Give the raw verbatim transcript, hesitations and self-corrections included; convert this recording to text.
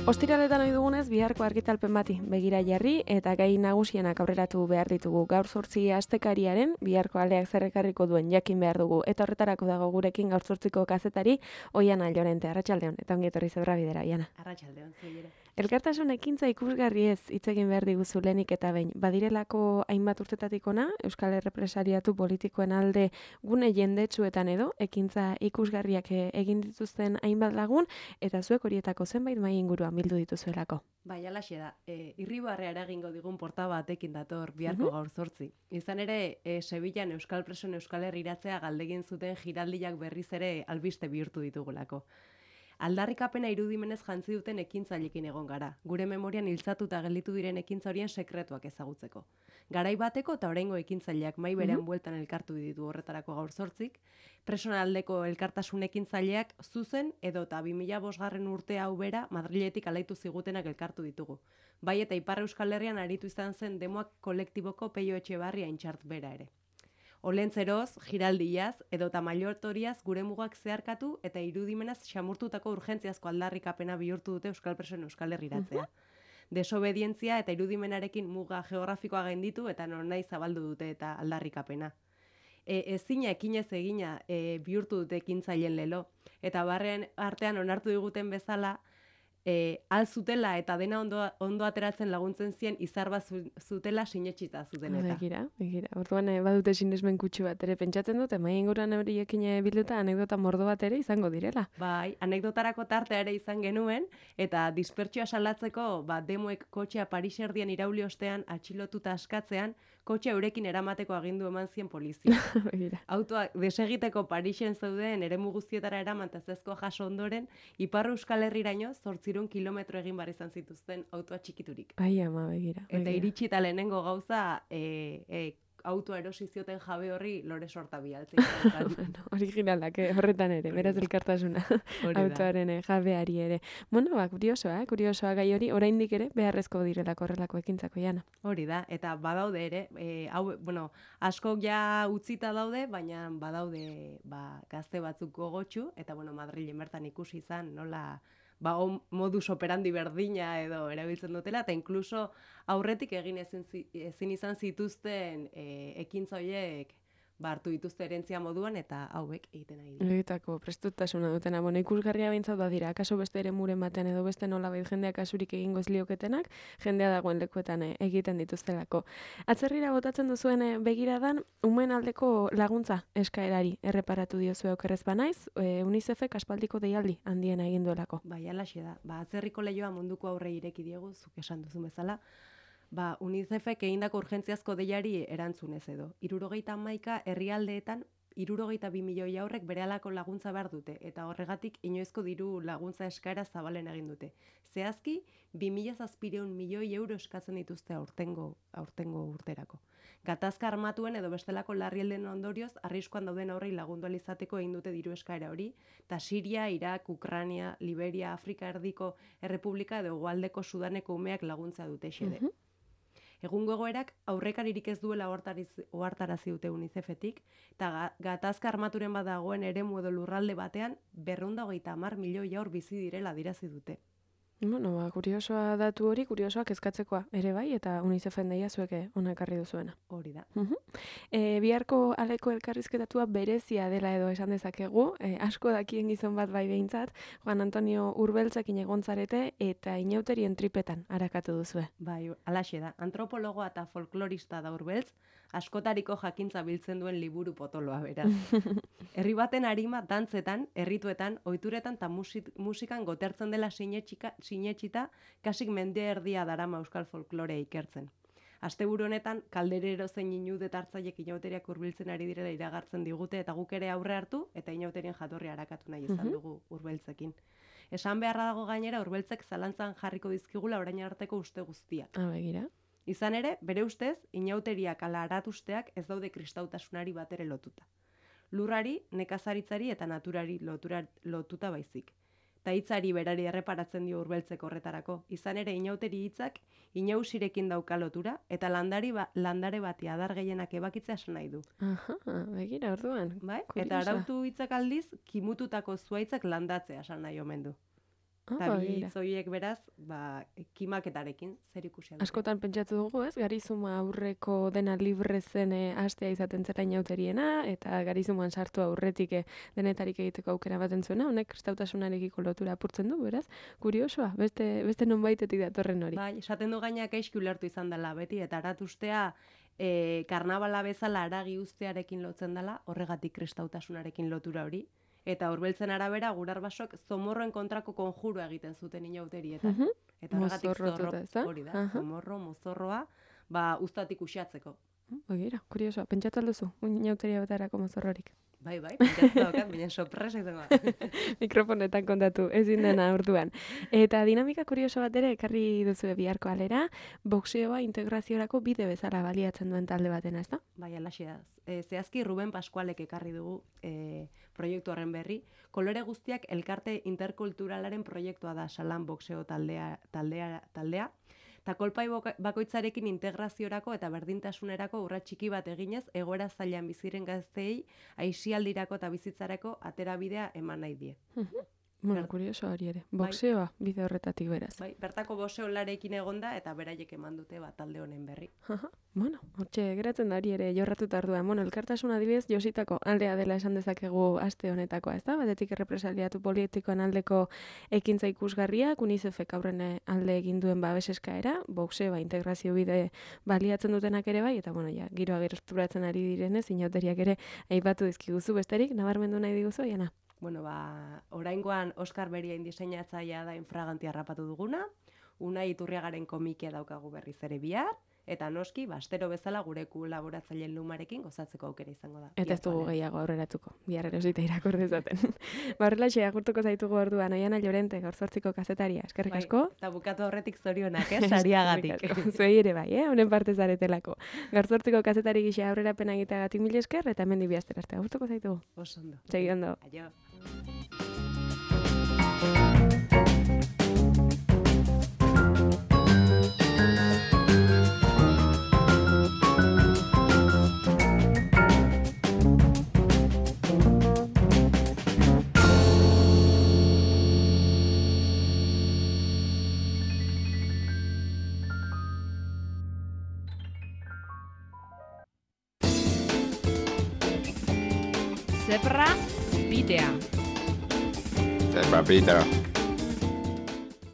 Ostiraletan ohi dugunez, biharko argitalpen bati begira jarri eta gai nagusienak aurreratu behar ditugu. Gaur zortzi astekariaren, biharko aleak zer ekarriko duen jakin behar dugu. Eta horretarako dago gurekin gaur zortziko kazetari, Oiana Llorente. Arratsaldeon, eta ongi etorri Zebra Bidera, Oiana. Arratsaldeon, zuire. Elkartasun ekintza ikusgarri ez hitz egin behar diguzu lehenik eta behin. Badirelako hainbat urtetatik ona, Euskal Errepresariatu politikoen alde gune jendetsuetan edo, ekintza ikusgarriak egin dituzten hainbat lagun, eta zuek horietako zenbait mai inguruan bildu dituzuelako. Bai, alaxe da. E, Irribarrea eragingo digun porta batekin dator biharko gaur zortzi. Izan ere, e, Sevillan Euskal Presoen Euskal Herriratzea galdegin zuten giraldiak berriz ere albiste bihurtu ditugulako. Aldarrikapena irudimenez jantzi duten ekintzailekin egon gara, gure memorian hiltzatuta gelditu diren ekintza horien sekretuak ezagutzeko. Garai bateko eta oraingo ekintzaileak mai berean bueltan elkartu ditu horretarako gaur zortzik, presoen aldeko elkartasun ekintzaileak zuzen edo eta bi mila bosgarren urte hau bera Madriletik alaitu zigutenak elkartu ditugu. Bai eta Ipar Euskal Herrian aritu izan zen demoak kolektiboko Peio Etxebarria Intxart bera ere. Olentzeroz, giraldiaz, edota mailotoriaz gure mugak zeharkatu eta irudimenaz xamurtutako urgentziazko aldarrikapena bihurtu dute Euskal Presoen Euskal Herriratzea. Desobedientzia eta irudimenarekin muga geografikoa gainditu eta nonahi zabaldu dute eta aldarrikapena. E, ezina ekinez egina e, bihurtu dute ekintzaileen lelo, eta barren artean onartu diguten bezala, E, al zutela eta dena ondo, ondo ateratzen laguntzen zien izar bat zutela sinetxita zuten eta. Begira, begira. Orduan eh, badute sinesmen kutsu bat ere pentsatzen dute, mai inguruan horiekin bilduta anekdota mordo bat ere izango direla. Bai, anekdotarako tartea ere izan genuen, eta dispertsioa salatzeko ba, demoek kotxea Paris erdian irauli ostean atxilotuta askatzean, kotxea eurekin eramateko agindu eman zien polizia. Autoak desegiteko Parisen zeuden eremu guztietara eraman tazezkoa jaso ondoren, Ipar Euskal Herriraino zortzi kilometro egin bar izan zituzten autoa txikiturik. Ai ama, begira. Eta iritsi eta lehenengo gauza e, e, autoa erosi zioten jabe horri lore sorta bialtzen. Bueno, originalak, eh? Horretan ere, beraz elkartasuna autoaren jabeari ere. Bueno, ba, kuriosoa, eh? kuriosoa gai hori, oraindik ere beharrezko direlako horrelako ekintzako, Jana. Hori da, eta badaude ere, e, hau, bueno, asko ja utzita daude, baina badaude ba, gazte batzuk gogotsu, eta bueno, Madrilen bertan ikusi izan, nola ba, modus operandi berdina edo erabiltzen dutela, eta inkluso aurretik egin ezin, ezin izan zituzten e, ekintza horiek ba, hartu dituzte erentzia moduan, eta hauek egiten nahi dira. Egitako prestutasuna dutena, bueno, ikusgarria behintzat badira, akaso beste ere muren batean edo beste nolabait jendeak kasurik egingo ez lioketenak, jendea dagoen lekuetan eh, egiten dituztelako. Atzerrira botatzen duzuen eh, begiradan, umen aldeko laguntza eskaerari erreparatu diozue okerrez banaiz, e, UNICEFek aspaldiko deialdi handiena egin duelako. Bai, alaxe da. Ba, atzerriko lehioa munduko aurre ireki diegu, zuk esan duzu bezala, ba, UNICEFek egindako urgentziazko deiari erantzunez edo. Hirurogeita hamaika herrialdeetan hirurogeita bi milioi aurrek berehalako laguntza behar dute, eta horregatik inoizko diru laguntza eskaera zabalen egin dute. Zehazki, bi mila zazpiehun milioi euro eskatzen dituzte aurtengo, aurtengo urterako. Gatazka armatuen edo bestelako larrialden ondorioz, arriskuan dauden aurrei lagundu izateko egin dute diru eskaera hori, eta Siria, Irak, Ukraina, Liberia, Afrika Erdiko Errepublika edo Hegoaldeko Sudaneko umeak laguntza dute xede. Uh -huh. Egungo egoerak aurrekaririk ez duela ohartarazi dute UNICEFetik, eta gatazka armaturen badagoen eremu edo lurralde batean berrehun eta hogeita hamar milioi haur bizi direla adierazi dute. Bueno, ba, kuriosoa datu hori, kuriosoak kezkatzekoa ere bai, eta UNICEFen deia zueke ona ekarri duzuena. Hori da. Uh -huh. e, biharko aleko elkarrizketatua berezia dela edo esan dezakegu, e, asko dakien gizon bat bai behintzat, Juan Antonio Urbeltzekin egontzarete eta inauterien tripetan arakatu duzue. Bai, alaxe da. Antropologoa eta folklorista da Urbeltz, askotariko jakintza biltzen duen liburu potoloa beraz. Herri baten arima dantzetan, errituetan, ohituretan eta musik, musikan gotertzen dela sinetxika sinetxita, kasik mende erdia darama euskal folklorea ikertzen. Asteburu honetan, kalderero zein inudet hartzaiek inauteriak hurbiltzen ari direla iragartzen digute, eta guk ere aurre hartu, eta inauterien jatorria arakatu nahi izan dugu Urbeltzekin. Esan beharra dago gainera, Urbeltzek zalantzan jarriko dizkigula orain arteko uste guztiak. Ah, begira. Izan ere, bere ustez, inauteriak ala aratusteak ez daude kristautasunari batere lotuta. Lurrari, nekazaritzari eta naturari lotura, lotuta baizik. Eta hitzari berari erreparatzen dio Urbeltzek horretarako. Izan ere, inauteri hitzak inausirekin dauka lotura, eta landari ba, landare bati adar gehienak ebakitzea esan nahi du. Aha, begira, orduan. Bai? Eta arautu hitzak aldiz, kimututako zuaitzak landatzea esan nahi omen du. Eta bi hitz horiek beraz, ba, kimaketarekin zer ikusia. Askotan pentsatu dugu, ez? Garizuma aurreko dena libre zen hastea izaten zela inauteriena, eta garizuman sartu aurretik denetarik egiteko aukera baten zuena, honek kristautasunarekiko lotura apurtzen du, beraz? Kuriosoa, beste, beste nonbaitetik datorren hori. Bai, esaten du gaina gaizki ulertu izan dela beti, eta aratustea e, karnabala bezala aragi ustearekin lotzen dela, horregatik kristautasunarekin lotura hori. Eta Urbeltzen arabera gurarbasok zomorroen kontrako konjurua egiten zuten inauterietan. Uh -huh. Eta horregatik zorro hori da, uh -huh. zomorro, mozorroa, ba, ustatik uxatzeko. Begira, kuriosoa, pentsatu alduzu, inauteria batarako mozorrorik. Bai, bai, pentsatu daukat, baina sorpresa izango da. Mikrofonetan kontatu, ezin dena orduan. Eta dinamika kurioso bat ere ekarri duzu biharko alera, boxeoa integraziorako bide bezala baliatzen duen talde batena, ezta? Bai, alaxe da. E, zehazki Ruben Pascualek ekarri dugu e, proiektu horren berri. Kolore guztiak elkarte interkulturalaren proiektua da Salan boxeo taldea, taldea, taldea. Eta kolpai bakoitzarekin integraziorako eta berdintasunerako urrats txiki bat eginez, egoera zailan biziren gazteei, aisialdirako eta bizitzarako aterabidea eman nahi die. Bueno, kurioso hori ere. Boxeoa bide horretatik beraz. Bai, bertako boxeolarekin egonda eta beraiek eman dute bat talde honen berri. Bueno, hortxe geratzen da hori ere jorratuta orduan. Bueno, elkartasun adibidez Jositako aldea dela esan dezakegu aste honetakoa, ezta? Batetik errepresaliatu politikoen aldeko ekintza ikusgarriak, UNICEFek aurren alde egin duen babes eskaera, boxeoa integrazio bide baliatzen dutenak ere bai, eta bueno, ja, giroa gerosturatzen ari direnez, inauteriak ere aipatu dizkiguzu besterik, nabarmendu nahi diguzu, Jana? Bueno, ba, oraingoan Oskar Beriain diseinatzailea da Infraganti harrapatu duguna, Unai Iturriagaren komikia daukagu berriz ere bihar, eta noski, bastero bezala gure kolaboratzaileen lumarekin gozatzeko aukera izango da. Eta ez dugu gehiago aurreratuko, bihar erosita irakur dezaten. Ba, horrelaxe, agurtuko zaitugu orduan, Oiana Llorente, gaur zortziko kazetaria, eskerrik asko. Eta bukatu horretik zorionak, eh, sariagatik. Zuei ere bai, eh, honen parte zaretelako. Gaur zortziko kazetari gisa aurrerapena egiteagatik mil esker, eta hemen dibiaztera arte, agurtuko zaitugu. Oso ondo. Segi ondo. Aio. Zebra bidea. Zebra bidea.